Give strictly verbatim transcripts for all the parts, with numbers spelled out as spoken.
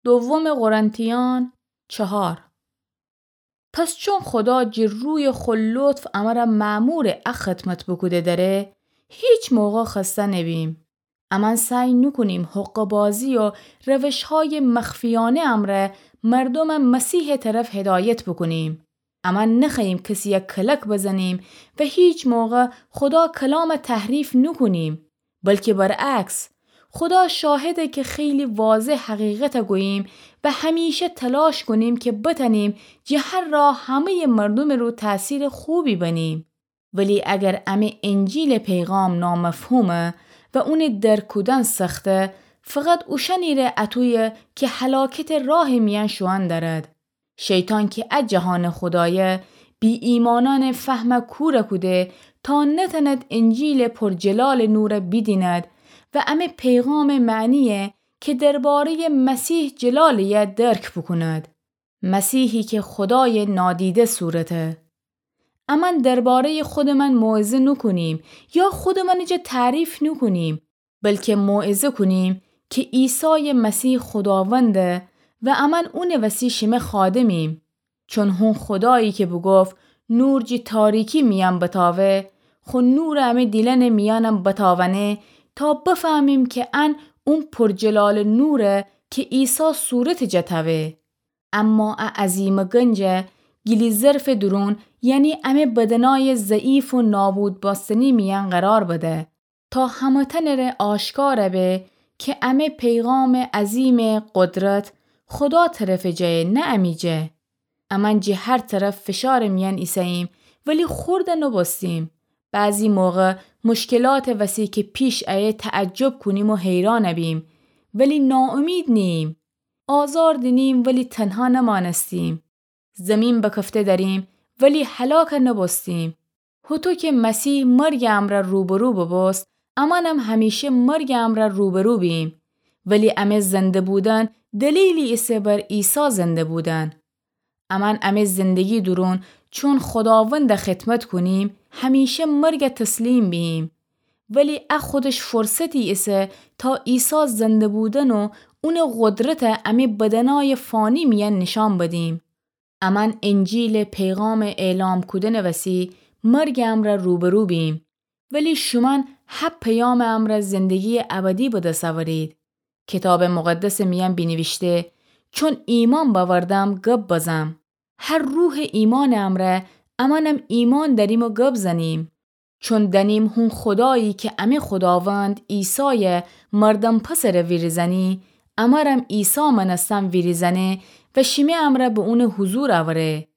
دوم قرنتیان چهار. پس چون خودا جی روی خو لطف امر مأمور ا خدمت بوکوده دره، هیچ موقع خسته نبیم. امأن سعی نوکونیم حقه‌بازی و روش‌های مخفیانه امرأ مردوم مسیح طرف هدایت بوکونیم. امأن نخوأییم کسی‌یه کلک بزنیم و هیچ موقع خودا کلام تحریف نوکونیم، بلکه برعکس، خودا شاهده که خیلی واضح حقیقت گوییم و همیشه تلاش کونیم که بتأنیم جه هر راه همه‌ی مردوم رو تأثیر خوبی بنیم. ولی اگر امه انجیل پیغام نامفهومه و اون درک کودن سخته، فقط اوشأنی ره اتویه که هلاکت راه میأن شوئن دأرد. شیطان که ا جهان خودایه بی‌ایمأنأن فهم کور کوده تا نتأند انجیل پرجلال نور بیدیند و امه پیغام معنیه که درباره‌ی مسیح جلالیه درک بوکوند. مسیحی که خودای نادیده صورته. امأن درباره‌ی خودمأن موعظه نوکونیم یا خودمأن جا تعریف نوکونیم، بلکه موعظه کونیم که عیسای مسیح خوداونده و امأن اون وسی شیمه خادمیم. چون هون خودایی که بوگفت نور جی تاریکی میأن بتاوه، خو نور امه دیلأن میأنم بتاونه تا بفهمیم که ان اون پرجلال نوره که عیسی صورت جا تأوه. اما ا عظیمٚ گنجه گیلی ظرفٚ دورون، یعنی امه بدنای ضعیف و نابود بأستنی میأن قرار بده، تا همه‌تأنٚ ره آشکار به که امه پیغامٚ عظیمٚ قدرت خودا طرفٚ جایه، نه امی جا. امأن جه هر طرف فشارٚ میأن ایسه‌ییم، ولی خورد نوبوستیم. بعضی موقع مشکلاتٚ وسی که پیش ایه تعجب کونیم و حیران بیم، ولی ناامید نیییم. آزار دینیم ولی تنها نمأنستیم. زمین بکفته دأریم ولی هلاک نوبوستیم. هوطو که مسیح مرگٚ امرأ روبرو ببوست، امأنم همیشه مرگٚ امرأ روبرو بییم. ولی امه زنده بودن دلیلی ایسه بر عیسی زنده بودن. امأن امه زندگی دورون چون خوداوند خدمت کونیم، همیشه مرگ تسلیم بییم. ولی ا خودش فرصتی ایسه تا عیسی زنده بودن و اونٚ قدرت امه بدنای فانی میأن نیشأن بدیم. امأن انجیلٚ پیغامٚ اعلام کودنٚ وسی مرگٚ امرأ روبرو بییم، ولی شومأن ه پیامٚ امرأ زندگییٚ ابدی به دس اورید. کیتابٚ مقدسٚ میأن بینیویشته: چون ایمأن بأوردم گب بزم. هر روحٚ ایمأنٚ امرأ امأنم ایمأن دأریم و گب زنیم. چون دأنیم هون خودایی که امه خوداوند عیسای مردم پسرٚ ویریزأنی، امرم عیسی مأنستن ویریزأنه و شیمه امرأ به اونٚ حضور اوره.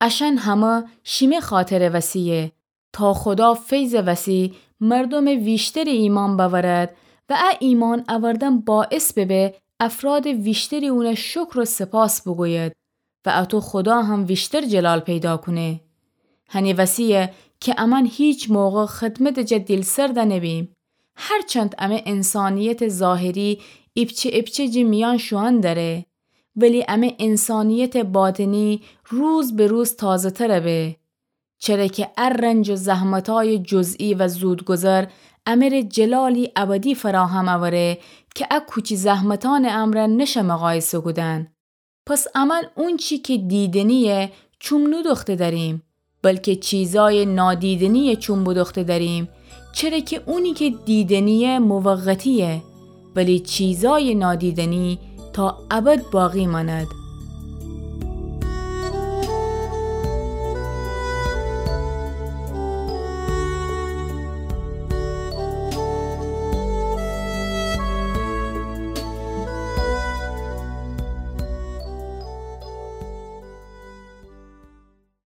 اشأن همه شیمه خاطرٚ وسییه، تا خودا فیضٚ وسی مردومٚ ویشتری ایمأن بأورد و ا ایمأن اوردن باعث ببه افرادٚ ویشتری اون شکر و سپاس بوگوید و اتو خودا هم ویشتر جلال پیدا کونه. هنٚ وسییه که امأن هیچ موقع خدمتٚ جا دیلسرد نبیم. هرچند امه انسانیتٚ ظاهری ایپچه ایپچه جٚه میأن شوئن دأره، ولی امه انسانیتٚ باطنی روز به روز تازه‌تر به. چره که ا رنج و زحمتای جزئی و زودگذر امه ره جلالی ابدی فراهم اوره که ا کوچی زحمتأنٚ امرأ نشه مقایسه کودن. پس امأن اونچی که دیدنییه چوم نودوخته دأریم، بلکه چیزای نادیدنییه چوم بودوخته دأریم، چره که اونی که دیدنییه موقتییه، ولی چیزای نادیدنی تا ابد باقی مأند.